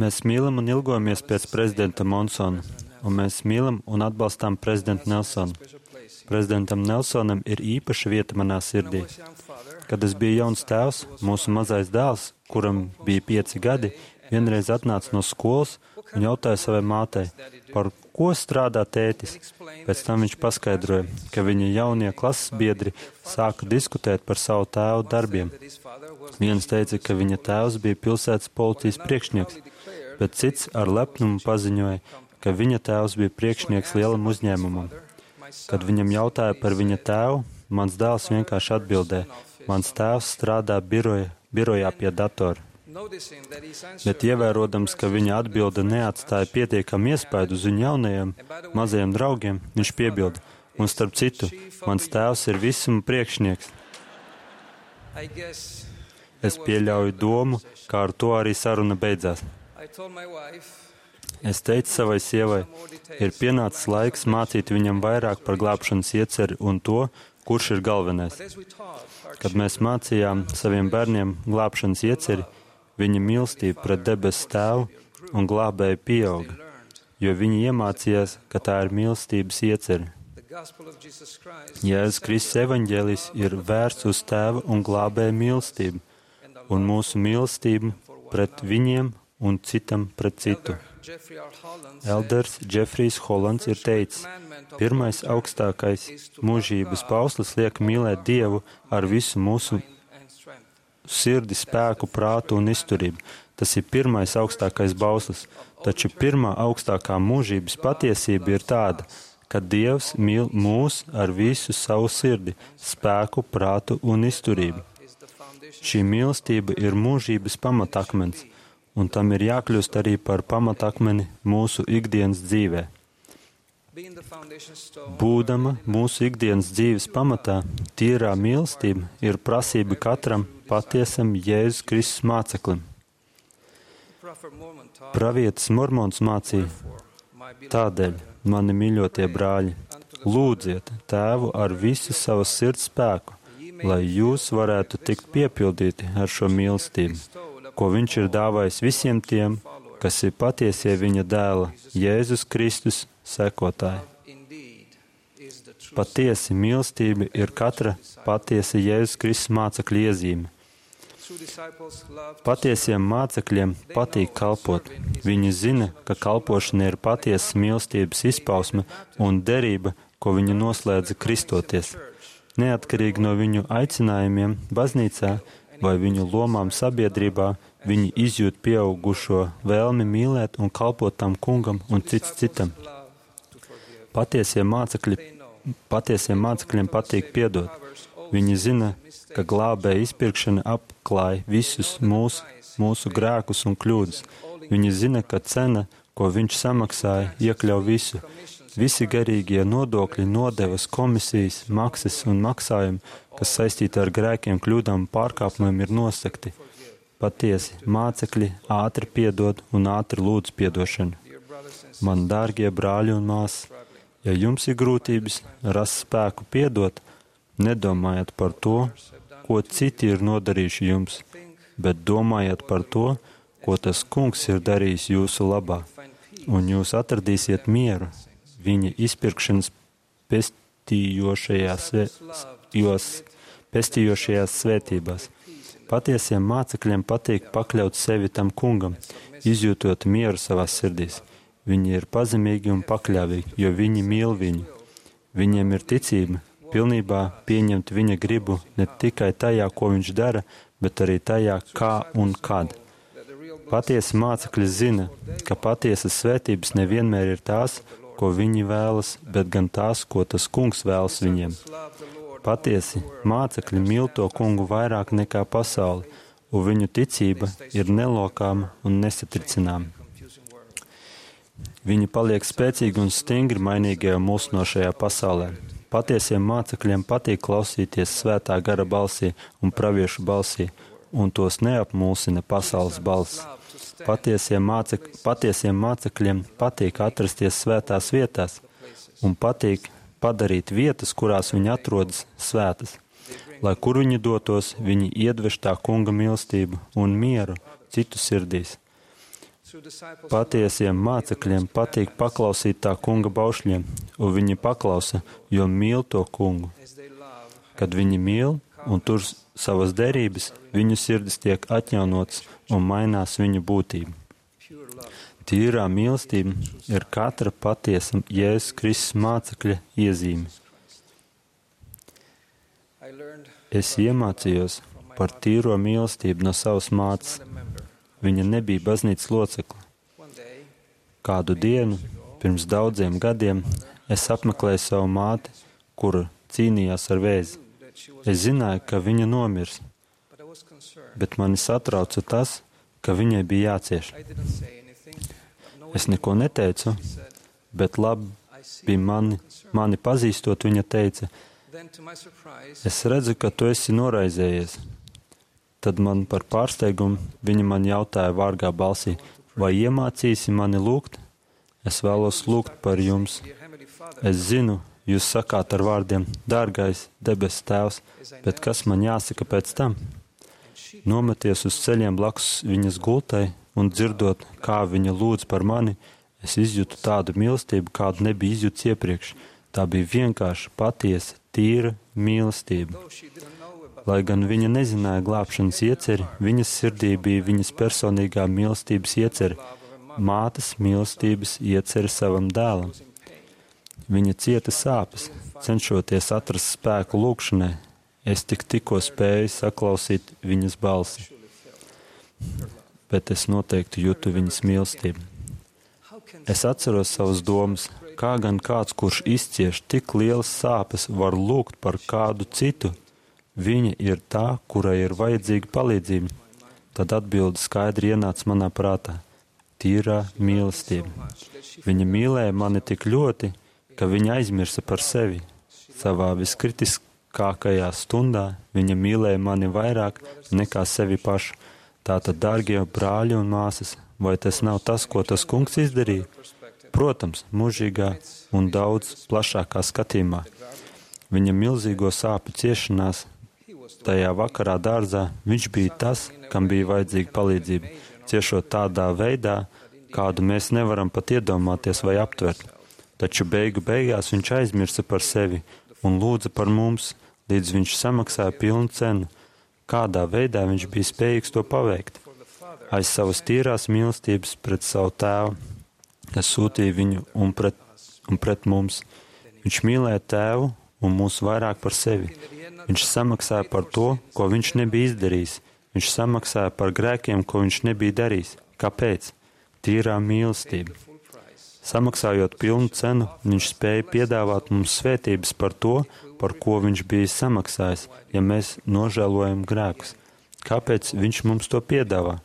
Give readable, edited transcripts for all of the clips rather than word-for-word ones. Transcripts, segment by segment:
Mēs mīlam un ilgojamies pēc prezidenta Monsona, un mēs mīlam un atbalstām prezidentu Nelsonu. Prezidentam Nelsonam ir īpaša vieta manā sirdī. Kad es biju jauns tēvs, mūsu mazais dēls, kuram bija 5 gadi, vienreiz atnāca no skolas un jautāja savai mātei, par ko strādā tētis. Pēc tam viņš paskaidroja, ka viņa jaunie klases biedri sāka diskutēt par savu tēvu darbiem. Viens teica, ka viņa tēvs bija pilsētas policijas priekšnieks, bet cits ar lepnumu paziņoja, ka viņa tēvs bija priekšnieks lielam uzņēmumam. Kad viņam jautāja par viņa tēvu, mans dēls vienkārši atbildēja, mans tēvs strādā birojā pie datora. Bet ievērodams, ka viņa atbilde neatstāja pietiekami iespaidu uz viņu jaunajiem, mazajiem draugiem, viņš piebilda, un starp citu, mans tēvs ir visuma priekšnieks. Es pieļauju domu, kā ar to arī saruna beidzās. Es teicu savai sievai, ir pienācis laiks mācīt viņam vairāk par glābšanas ieceri un to, kurš ir galvenais. Kad mēs mācījām saviem bērniem glābšanas ieceri, viņa mīlestība pret debesu tēvu un glābēju pieauga, jo viņi iemācījās, ka tā ir mīlestības ieceri. Jēzus Kristus evaņģēlijs ir vērsts uz tēva un glābēju mīlestību, un mūsu mīlestību pret viņiem un citam pret citu. Elders Džefrijs Hollands ir teicis, pirmais augstākais mūžības bauslis liek mīlēt Dievu ar visu mūsu sirdi, spēku, prātu un izturību. Tas ir pirmais augstākais bauslis, taču pirmā augstākā mūžības patiesība ir tāda, ka Dievs mīl mūs ar visu savu sirdi, spēku, prātu un izturību. Šī mīlestība ir mūžības pamatakmens, un tam ir jākļūst arī par pamatakmeni mūsu ikdienas dzīvē. Būdama mūsu ikdienas dzīves pamatā, tīrā mīlestība ir prasība katram patiesam Jēzus Kristus māceklim. Pravietis Mormons mācīja, tādēļ, mani mīļotie brāļi, lūdziet Tēvu ar visu savas sirds spēku, lai jūs varētu tikt piepildīti ar šo mīlestību, ko viņš ir dāvājis visiem tiem, kas ir patiesie viņa dēla, Jēzus Kristus sekotāji. Patiesi mīlestība ir katra patiesa Jēzus Kristus mācekļa iezīme. Patiesiem mācekļiem patīk kalpot. Viņi zina, ka kalpošana ir patiesas mīlestības izpausme un derība, ko viņi noslēdza kristoties. Neatkarīgi no viņu aicinājumiem baznīcā vai viņu lomām sabiedrībā, viņi izjūt pieaugušo vēlmi mīlēt un kalpot tam kungam un cits citam. Patiesiem mācekļiem patīk piedot. Viņi zina, ka glābēja izpirkšana apklāj visus mūsu grēkus un kļūdas. Viņi zina, ka cena, ko viņš samaksāja, iekļauj visu. Visi garīgie nodokļi, nodevas, komisijas, maksas un maksājumi, kas saistīti ar grēkiem, kļūdām un pārkāpumiem, ir nosakti. Patiesi, mācekļi ātri piedod un ātri lūdz piedošanu. Man dārgie brāļi un māsas, ja jums ir grūtības rast spēku piedot, nedomājiet par to, ko citi ir nodarījuši jums, bet domājiet par to, ko tas kungs ir darījis jūsu labā, un jūs atradīsiet mieru viņa izpirkšanas pestījošajās svētībās. Patiesiem mācekļiem patīk pakļaut sevi tam kungam, izjūtot mieru savās sirdīs. Viņi ir pazemīgi un pakļāvīgi, jo viņi mīl viņu. Viņiem ir ticība, pilnībā pieņemt viņa gribu ne tikai tajā, ko viņš dara, bet arī tajā, kā un kad. Patiesi mācekļi zina, ka patiesas svētības nevienmēr ir tās, ko viņi vēlas, bet gan tās, ko tas kungs vēlas viņiem. Patiesi mācekļi mīl to kungu vairāk nekā pasauli, un viņu ticība ir nelokāma un nesatricināma. Viņi paliek spēcīgi un stingri mainīgajā mulsinošajā pasaulē. Patiesiem mācekļiem patīk klausīties svētā gara balsī un praviešu balsī, un tos neapmulsina pasaules balss. Patiesiem mācekļiem patīk atrasties svētās vietās un patīk padarīt vietas, kurās viņi atrodas, svētas. Lai kur viņi dotos, viņi iedvež tā kunga mīlestību un mieru, citu sirdīs. Patiesiem mācekļiem patīk paklausīt tā kunga baušļiem, un viņi paklausa, jo mīl to kungu. Kad viņi mīl un tur savas derības, viņu sirdis tiek atjaunots un mainās viņu būtība. Tīrā mīlestība ir katra patiesa Jēzus Kristus mācekļa iezīme. Es iemācījos par tīro mīlestību no savas mātes. Viņa nebija baznīcas locekle. Kādu dienu, pirms daudziem gadiem, es apmeklēju savu māti, kura cīnījās ar vēzi. Es zināju, ka viņa nomirs, bet mani satrauca tas, ka viņai bija jācieš. Es neko neteicu, bet labi bija mani pazīstot, viņa teica, es redzu, ka tu esi noraizējies. Tad man par pārsteigumu viņa man jautāja vārgā balsī, vai iemācīsi mani lūgt? Es vēlos lūgt par jums. Es zinu, jūs sakāt ar vārdiem, dārgais debes tēvs, bet kas man jāsaka pēc tam? Nometies uz ceļiem blakus viņas gultai un dzirdot, kā viņa lūdz par mani, es izjūtu tādu mīlestību, kādu nebija izjūts iepriekš. Tā bija vienkārši patiesa, tīra mīlestība. Lai gan viņa nezināja glābšanas ieceri, viņas sirdī bija viņas personīgā mīlestības ieceri, mātes mīlestības ieceri savam dēlam. Viņa cieta sāpes, cenšoties atrast spēku lūgšanai. Es tikko spēju saklausīt viņas balsi, bet es noteikti jūtu viņas mīlestību. Es atceros savas domas, kā gan kāds, kurš izcieš tik lielas sāpes, var lūgt par kādu citu. Viņa ir tā, kurai ir vajadzīga palīdzība. Tad atbilde skaidri ienāca manā prātā. Tīrā mīlestība. Viņa mīlēja mani tik ļoti, ka viņa aizmirsa par sevi. Savā viskritiskākajā stundā viņa mīlēja mani vairāk nekā sevi pašu. Tātad, dārgie brāļi un māsas, vai tas nav tas, ko tas kungs izdarīja? Protams, mūžīgā un daudz plašākā skatījumā. Viņa milzīgo sāpju ciešanās tajā vakarā dārzā, viņš bija tas, kam bija vajadzīga palīdzība, ciešot tādā veidā, kādu mēs nevaram pat iedomāties vai aptvert. Taču beigās viņš aizmirsa par sevi un lūdza par mums, līdz viņš samaksāja pilnu cenu. Kādā veidā viņš bija spējīgs to paveikt? Aiz savas tīrās mīlestības pret savu tēvu, kas sūtīja viņu un pret mums. Viņš mīlēja tēvu un mūs vairāk par sevi. Viņš samaksāja par to, ko viņš nebija izdarījis. Viņš samaksāja par grēkiem, ko viņš nebija darījis. Kāpēc? Tīrā mīlestība. Samaksājot pilnu cenu, viņš spēja piedāvāt mums svētības par to, par ko viņš bija samaksājis, ja mēs nožēlojam grēkus. Kāpēc viņš mums to piedāvā?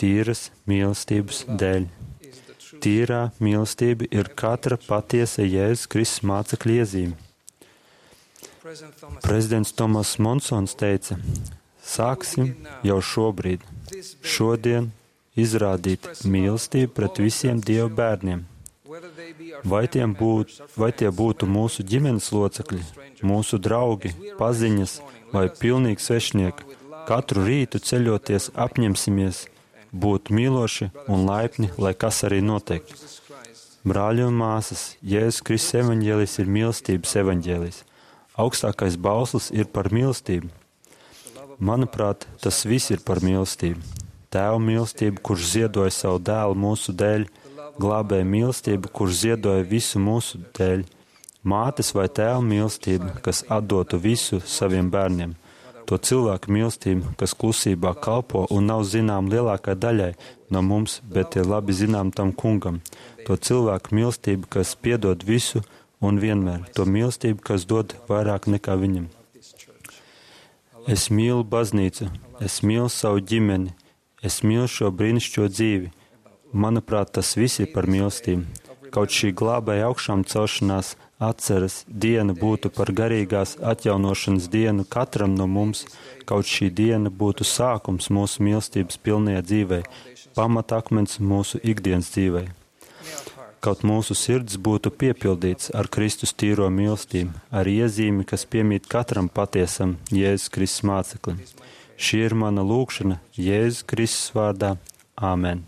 Tīras mīlestības dēļ. Tīrā mīlestība ir katra patiesa Jēzus Kristus mācekļa iezīme. Prezidents Tomas Monsons teica, sāksim jau šobrīd, šodien izrādīt mīlestību pret visiem Dieva bērniem. Vai tie būtu mūsu ģimenes locekļi, mūsu draugi, paziņas vai pilnīgi svešnieki, katru rītu ceļoties apņemsimies būt mīloši un laipni, lai kas arī notiek. Brāļi un māsas, Jēzus Kristus evaņģēlijs ir mīlestības evaņģēlijs. Augstākais bauslis ir par mīlestību. Manuprāt, tas viss ir par mīlestību. Tēva mīlestību, kurš ziedoja savu dēlu mūsu dēļ, glābēja mīlestību, kurš ziedoja visu mūsu dēļ, mātes vai tēva mīlestību, kas atdotu visu saviem bērniem, to cilvēku mīlestību, kas klusībā kalpo un nav zinām lielākai daļai no mums, bet ir labi zinām tam kungam, to cilvēku mīlestību, kas piedod visu un vienmēr, to mīlestību, kas dod vairāk nekā viņam. Es mīlu baznīcu, es mīlu savu ģimeni, es mīlu šo brīnišķo dzīvi. Manuprāt, tas viss ir par mīlestību. Kaut šī glābēja augšām celšanās atceres diena būtu par garīgās atjaunošanas dienu katram no mums, kaut šī diena būtu sākums mūsu mīlestības pilnajā dzīvē, pamatakmens mūsu ikdienas dzīvē. Kaut mūsu sirds būtu piepildīts ar Kristus tīro mīlestību, ar iezīmi, kas piemīt katram patiesam Jēzus Kristus māceklim. Šī ir mana lūgšana Jēzus Kristus vārdā. Āmen.